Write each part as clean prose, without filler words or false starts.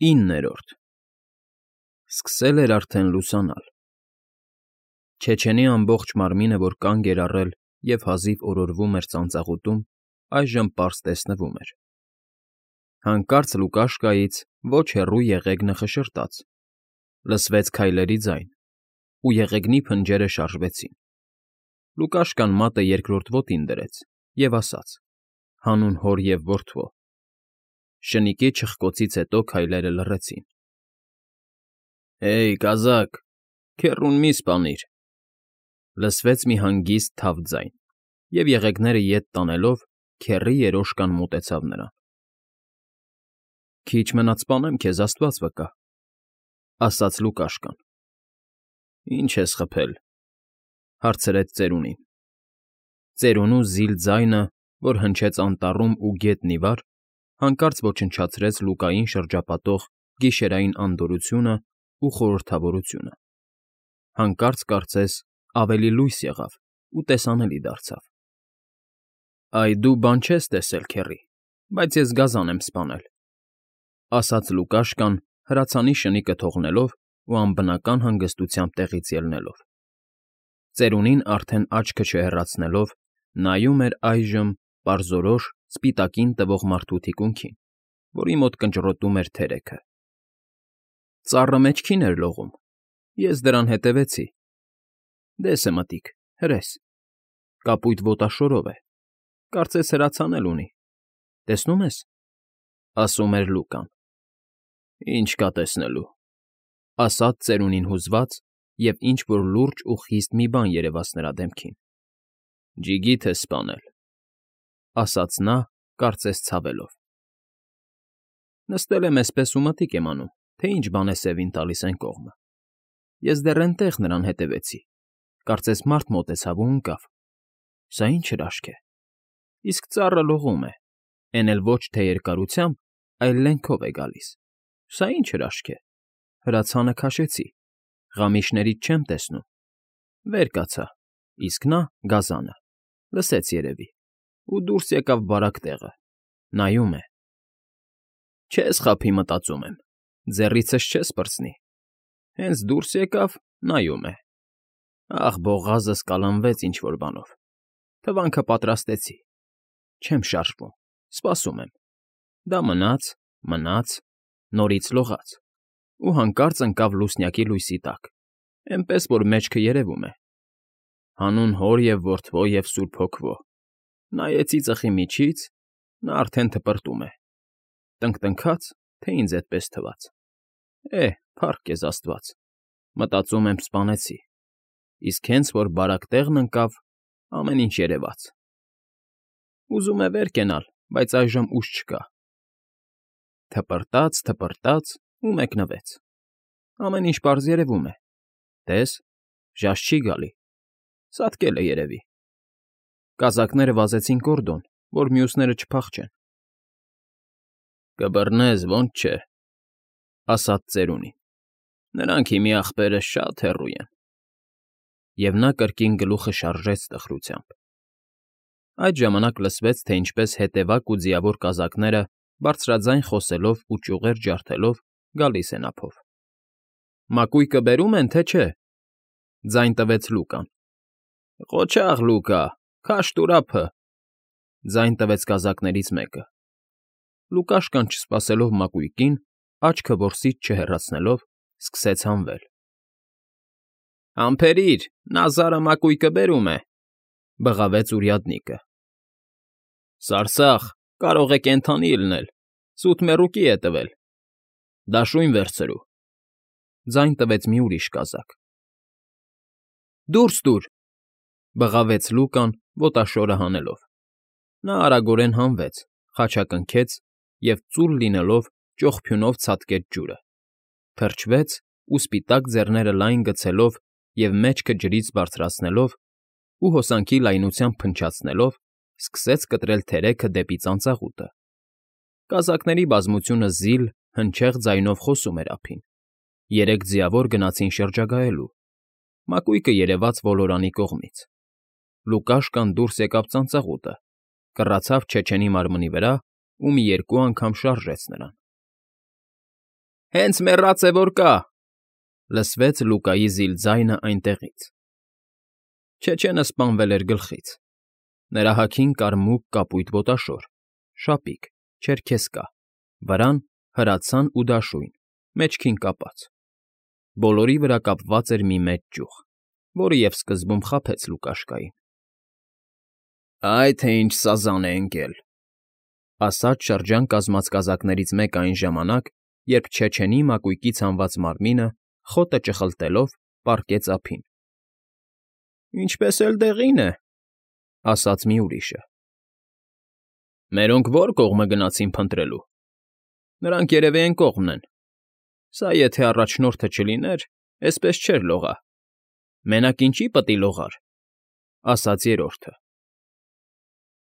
9-րդ Սկսել էր արդեն լուսանալ։ Չեչենի ամբողջ մարմինը, որ կանգ էր առել և հազիվ օրորվում էր ծանծաղուտում, այժմ պարզ տեսնվում էր։ Հանկարծ Լուկաշկայից ոչ հեռու եղեգնը խշշաց, լսվեց քայլերի ձայն, ու եղեգնի փնջերը շարժվեցին։ Լուկաշկան մատը երկրորդ ոտին դրեց և ասաց. հանուն հոր և որդվո։ Շնիկի չխկոցից հետո քայլերը լռեցին։ Հեյ, կազակ, քեռուն մի սպանիր, լսվեց մի հանգիստ թավ ձայն, և եղեգները ետ տանելով քեռի երոշկան մոտեցավ նրան։ Քիչ մնաց սպանեմ քեզ, աստված վկա, ասաց Լուկաշկան։ Ի՞նչ ես խփել, հարցրեց ծերունին։ Ծերունու զիլ ձայնը, որ հնչեց անտառում ու գետն ի վար, հանկարծ ոչնչացրեց Լուկային շրջապատող գիշերային անդորրությունն ու խորհրդավորությունը։ Հանկարծ, կարծես, ավելի լույս եղավ ու տեսանելի դարձավ։ Այ դու բան չես տեսել, քեռի, բայց ես գազան եմ սպանել, ասաց Լուկաշկան, հրացանի շնիկը թողնելով ու անբնական հանգստությամբ տեղից ելնելով։ Ծերունին արդեն աչքը չհեռացնելով նայում էր այժմ պարզորոշ սպիտակին տվող մարդու թիկունքին, որի մոտ կնճռոտում էր թերեքը։ Ծառը մեջքին էր լողում, ես դրան հետևեցի։ Դես է մտիկ, հրես, կապույտ ոտաշորով է, կարծես հրացան էլ ունի, տեսնում ես, ասում էր Լուկան։ Ինչ կա տեսնելու, ասաց ծերունին հուզված, և ինչ֊որ լուրջ ու խիստ մի բան երևաց նրա դեմքին։ Ջիգիթ ես սպանել, ասաց նա, կարծես ցավելով։ Նստել եմ էսպես ու մտիկ եմ անում, թե ինչ բան է սևին տալիս էն կողմը։ Ես դեռ էնտեղ նրան հետևեցի, կարծես մարդ մոտեցավ ու ընկավ։ Սա ինչ հրաշք է։ Իսկ ծառը լողում է, էն էլ ոչ թե երկարությամբ, այլ լենքով է գալիս։ Սա ինչ հրաշք է։ Հրացանը քաշեցի, ղամիշներից չեմ տեսնում։ Վեր կացա, իսկ նա, գազանը, լսեց երևի, ու դուրս եկավ բարակ տեղը, նայում է։ Չես խաբի, մտածում եմ, ձեռիցս չես պրծնի։ Հենց դուրս եկավ, նայում է։ Ախ, բողազս կալանվեց ինչ֊որ բանով։ Թվանքը պատրաստեցի։ Չեմ շարժվում, սպասում եմ։ Դա մնաց, նորից լողաց, ու հանկարծ ընկավ լուսնյակի լույսի տակ, էնպես որ մեջքը երևում է։ Հանուն հոր և որդվո և սուրբ հոգվո։ Նայեցի ծխի միջից, նա արդեն թպրտում է։ Տնկտնքաց, թե ինձ էդպես թվաց։ Փառք քեզ աստված, մտածում եմ սպանեցի, իսկ հենց որ բարակ տեղն ընկավ, ամեն ինչ երևաց։ Ուզում է վեր կենալ, բայց այժմ ուժ չկա։ Թպրտաց ու մեկնվեց։ Ամեն ինչ պարզ երևում է։ Տես, ժաժ չի գալի։ Ծածկել է երևի։ Կազակները վազեցին կորդոն, որ մյուսները չփախչեն։ Կբռնես, ոնց չէ, ասաց ծերունին։ Նրանք հիմի ախպերը շատ հեռու են։ Եվ նա կրկին գլուխը շարժեց տխրությամբ։ Այդ ժամանակ լսվեց, թե ինչպես հետևակ ու ձիավոր կազակները բարձրաձայն խոսելով ու ճյուղեր ջարդելով գալիս են ափով։ Մակույկը բերում են, թե չէ, ձայն տվեց Լուկան։ Ղոչաղ, Լուկա, քաշ տուր ափը, ձայն տվեց կազակներից մեկը։ Լուկաշկան, չսպասելով մակույկին, աչքը որսից չհեռացնելով, սկսեց հանվել։ Համբերիր, Նազարը մակույկը բերում է, բղավեց уряднիկը։ Սարսախ, կարող է կենդանի լինել, սուտ մեռուկի է տվել։ Դաշույն վերցրու, ձայն տվեց մի ուրիշ կազակ։ Դուրս տուր, բղավեց Լուկան, ոտաշորը հանելով։ Նա արագորեն հանվեց, խաչակնքեց և ծուլ լինելով ճողփյունով ցատկեց ջուրը, թրջվեց ու սպիտակ ձեռները լայն գցելով և մեջքը ջրից բարձրացնելով ու հոսանքի լայնությամբ փնչացնելով, սկսեց կտրել թերեքը դեպի ծանծաղուտը։ Կազակների բազմությունը զիլ, հնչեղ ձայնով խոսում էր ափին։ Երեք ձիավոր գնացին շրջագայելու։ Մակույկը երևաց ոլորանի կողմից։ Լուկաշկան դուրս եկավ ծանծաղուտը, կռացավ Չեչենի մարմնի վրա ու մի երկու անգամ շարժեց նրան։ Հենց մեռած է որ կա,֊ լսվեց Լուկայի զիլ ձայնը այնտեղից։ Չեչենը սպանվել էր գլխից։ Նրա հագին կար մուգ կապույտ ոտաշոր, շապիկ, չերքեզկա, վրան հրացան ու դաշույն, մեջքին կապած։ Բոլորի վրա կապված էր մի մեծ ճյուղ, որը և սկզբում խաբեց Լուկաշկային։ «Այ թե ինչ սազան է ընկել,֊ ասաց շրջան կազմած կազակներից մեկը այն ժամանակ, երբ չեչենի մակույկից հանված մարմինը, խոտը ճխլտելով, պառկեց ափին։ «Ինչպես էլ դեղին է,֊ ասաց մի ուրիշը։ Մերոնք ո՞ր կողմը գնացին փնտրելու։ Նրանք երևի էն կողմն են։ Սա եթե առաջնորդը չլիներ, էսպես չէր լողա։ Մենակ ինչի պտի լողար,֊ ասաց երրորդը։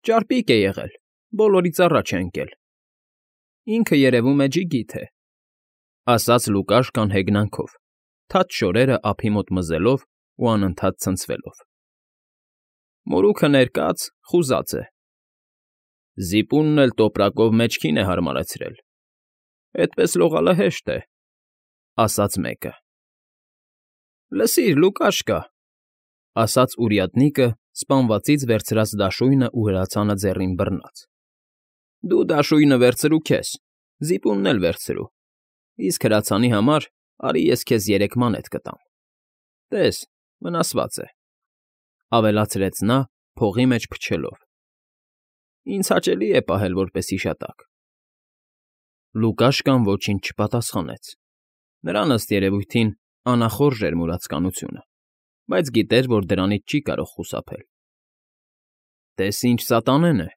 Ճարպիկ է եղել, բոլորից առաջ է ընկել։ Ինքը երևում է ջիգիթ է,֊ ասաց Լուկաշկան հեգնանքով, թաց շորերը ափի մոտ մզելով ու անընդհատ ցնցվելով։ Մորուքը ներկած, խուզած է։ Զիպունն էլ տոպրակով մեջքին է հարմարեցրել։ Էդպես լողալը հեշտ է,֊ ասաց մեկը։ Լսիր, Լուկաշկա,֊ ասաց урядնիկը, սպանվածից վերցրած դաշույնը ու հրացանը ձեռին բռնած։ Դու դաշույնը վերցրու քեզ, զիպունն էլ վերցրու, իսկ հրացանի համար արի ես քեզ 3 մանետ կտամ։ Տես, վնասված է,֊ ավելացրեց նա, փողի մեջ փչելով։ Ինձ հաճելի է պահել որպես հիշատակ։ Լուկաշկան ոչինչ չպատասխանեց։ Նրան ըստ երևույթին անախորժ էր մուրացկանությունը, բայց գիտեր, որ դրանից չի կարող խուսափել։ Տես ինչ սատանեն է,֊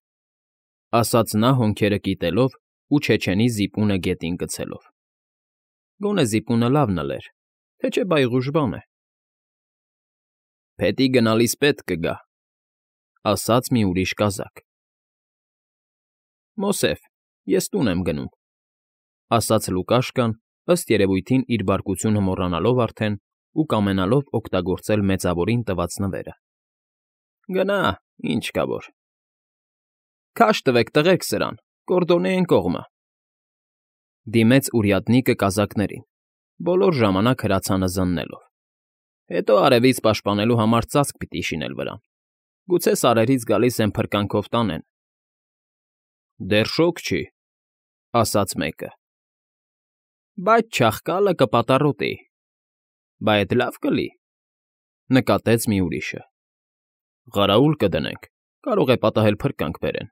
ասաց նա հոնքերը կիտելով ու չեչենի զիպունը գետին գցելով։ Գոնե զիպունը լավն էլեր, թե չէ բայղուժ բան է։ Փետի գնալիս պետք կգա,֊ ասաց մի ուրիշ կազակ։ Մոսեֆ, ես տուն եմ գնում,֊ ասաց Լուկաշկան, ըստ երևույթին իր բարկությունը մոռանալով արդեն ու կամենալով օգտագործել մեծավորին տված նվերը։ Գնա, ինչ կա որ։ Քաշ տվեք, տղեք սրան, Կորդոնի են կողմը,֊ դիմեց урядնիկը կազակներին, բոլոր ժամանակ հրացանը զննելով։ Հետո արևից պաշտպանելու համար ծածկ պիտի շինել վրան։ Գուցե սարերից գալիս են փրկանքով տանեն։ Դեռ շոգ չի,֊ ասաց մեկը։ Բայց չաղկալը կպատառոտի։ Բա էդ լավ կլի,֊ նկատեց մի ուրիշը։ Ղարաուլ կդնենք, կարող է պատահել փրկանք բերեն։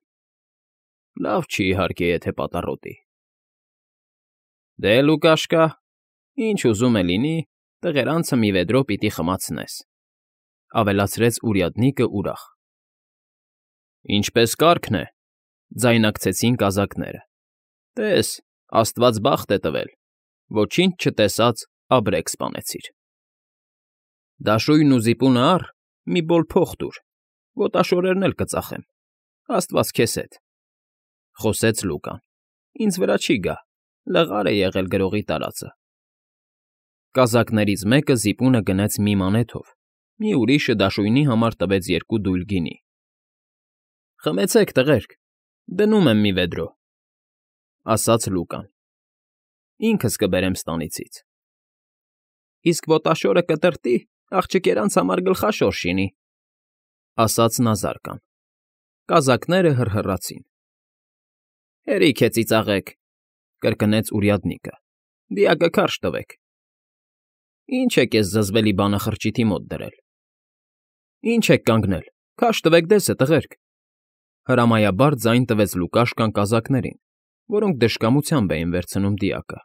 Լավ չի, իհարկե, եթե պատառոտի։ Դե, Լուկաշկա, ինչ ուզում է լինի, տղերանցը մի վեդրո պիտի խմացնես,֊ ավելացրեց урядնիկը ուրախ։ Ինչպես կարգն է,֊ ձայնարկեցին կազակները։ Տես, աստված բախտ է տվել, ոչինչ չտեսածաբրեկ սպանեցիր։ Դաշույնն ու զիպունը առ, մի բոլ փող տուր, ոտաշորերն էլ կծախեմ, աստված քեզ հետ,֊ խոսեց Լուկան։ Ինձ վրա չի գա, լղար է եղել գրողի տարածը։ Կազակներից մեկը զիպունը գնեց մի մանեթով, մի ուրիշը դաշույնի համար տվեց 2 դույլ գինի։ Խմեցեք, տղերք, դնում եմ մի վեդրո,֊ ասաց Լուկան։ Ինքս կբերեմ ստանիցից։ Իսկ ոտաշորը կտրտի, աղջիկերանց համար գլխաշոր շինի,֊ ասաց նա զարկան։ Կազակները հռհռացին։ Հերիք է ծիծաղեք,֊ կրկնեց урядնիկը։ Դիակը քարշ տվեք։ Ինչ եք ես զզվելի բանը խրճիթի մոտ դրել։ Ինչ եք կանգնել, քարշ տվեք դեսը, տղերք,֊ հրամայաբար ձայն տվեց Լուկաշկան կազակներին, որոնք դժկամությամբ էին վերցնում դիակը,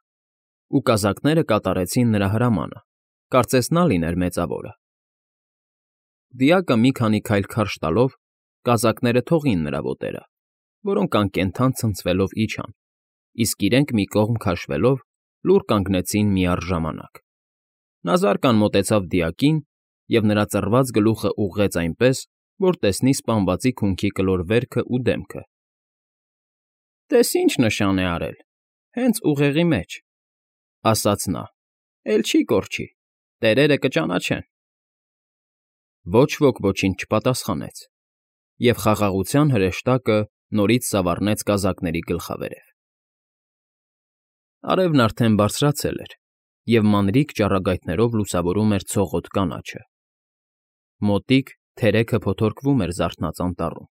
ու կազակները կատարեցին նրա հրամանը, կարծես նա լիներ մեծավորը։ Դիակը մի քանի քայլ քարշ տալով, կազակները թողին նրա ոտերը, որոնք անկենդան ցնցվելով իջան, իսկ իրենք մի կողմ քաշվելով լուռ կանգնեցին միառժամանակ։ Նա զարկան մոտեցավ դիակին և նրա ծռված գլուխը ուղղեց այնպես, որ տեսնի սպանվածի քունքի կլոր վերքն ու դեմքը։ Տես ինչ նշան է արել, հենց ուղեղի մեջ,֊ ասաց նա, էլ չի կորչի, տերերը կճանաչեն։ Ոչ ոք ոչինչ չպատասխանեց, և խաղաղության հրեշտակը նորից սավառնեց կազակների գլխավերև։ Արևն արդեն բարձրացել էր, և մանրիկ ճառագայթներով լուսավորում էր ցողոտ կանաչը։ Մոտիկ թերեքը փոթորկվում էր զարթնած անտառում։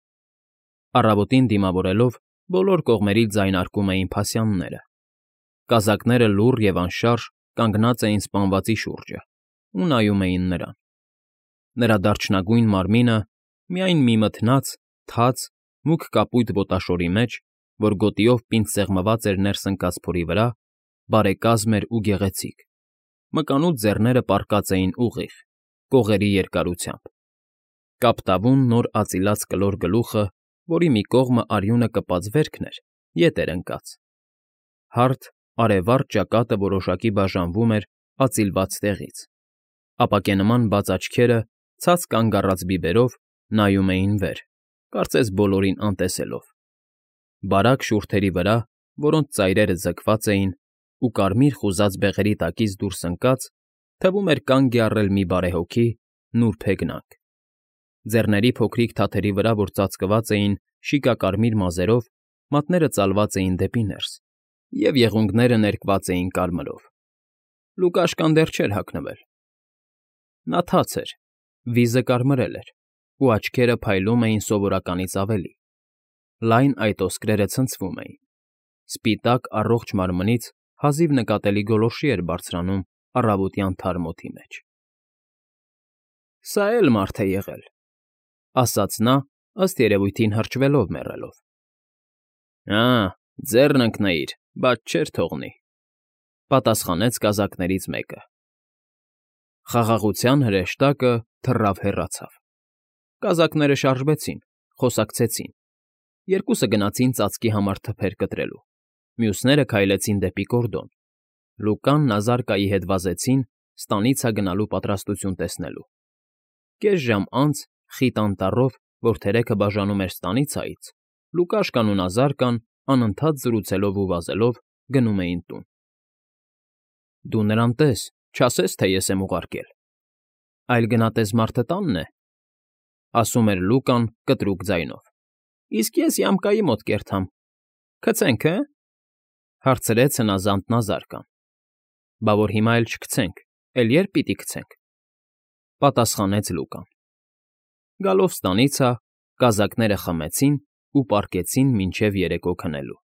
Առավոտին դիմավորելով, բոլոր կողմերից ձայնարկում էին փասյանները։ Կազակները լուռ և անշարժ կանգնած էին սպանվածի շուրջը ու նայում էին նրան։ Նրա դարչնագույն մարմինը միայն մի մթնած, թաց, մուգ կապույտ ոտաշորի մեջ, որ գոտիով պինդ սեղմված էր ներս ընկած փորի վրա, բարեկազմ էր ու գեղեցիկ, մկանուտ ձեռները պառկած էին ուղիղ, կողերի երկարությամբ։ Կապտավուն նոր ածիլած կլոր գլուխը, որի մի կողմը արյունը կպած վերքն էր, ետ էր ընկած։ Հարթ, արևառտ ճակատը որոշակի բաժանվում էր ածիլված տեղից։ Ապակենման բաց աչքերը, ցած կանգ առած բիբերով, նայում էին վեր, կարծես բոլորին անտեսելով։ Բարակ շուրթերի վրա, որոնց ծայրերը ձգված էին, ու կարմիր խուզած բեղերի տակից դուրս ընկած, թվում էր կանգ է առել մի բարեհոգի, նուրբ հեգնանք։ Ձեռների փոքրիկ թաթերի վրա, որ ծածկված էին շիկակարմիր մազերով, մատները ծալված էին դեպի ներս, և եղունգները ներկված էին կարմրով։ Լուկաշկան դեռ չէր հագնվել։ Նա թաց էր, վիզը կարմրել էր, ու աչքերը փայլում էին սովորականից ավելի։ Լայն այտոսկրերը ցնցվում էին։ Սպիտակ առողջ մարմնից հազիվ նկատելի գոլորշի էր բարձրանում առավոտյան թարմ օդի մեջ։ «Սա էլ մարդ է եղել,֊ ասաց նա, ըստ երևույթին հրճվելով մեռելով։ «Ա՜, ձեռն ընկնեիր, բայց չէր թողնի,֊ պատասխանեց կազակներից մեկը։ Խաղաղության հրեշտակը թռավ հեռացավ։ Կազակները շարժվեցին, խոսակցեցին։ Երկուսը գնացին ծածկի համար թփեր կտրելու, մյուսները քայլեցին դեպի կորդոն։ Լուկան Նազարկայի հետ վազեցին ստանիցա գնալու պատրաստություն տեսնելու։ Կես ժամ անց, խիտ անտառով, որ թերեքը բաժանում էր ստանիցայից, Լուկաշկան ու Նազարկան, անընդհատ զրուցելով ու վազելով, գնում էին տուն։ «Դու նրան տես, չասես, թե ես եմ ուղարկել։ Այլ գնատես մարդը տանն է,֊ ասում էր Լուկան կտրուկ ձայնով։ Իսկ ես յամկայի մոտ կերտամ։ Գցե՞նք, հը՞,֊ հարցրեց հնազանդ Նազարկան։ Բա որ հիմա էլ չգցենք, էլ ե՞րբ պիտի գցենք,֊ պատասխանեց Լուկան։ Գալով ստանիցա, կազակները խմեցին ու պառկեցին մինչև երեկո քնելու։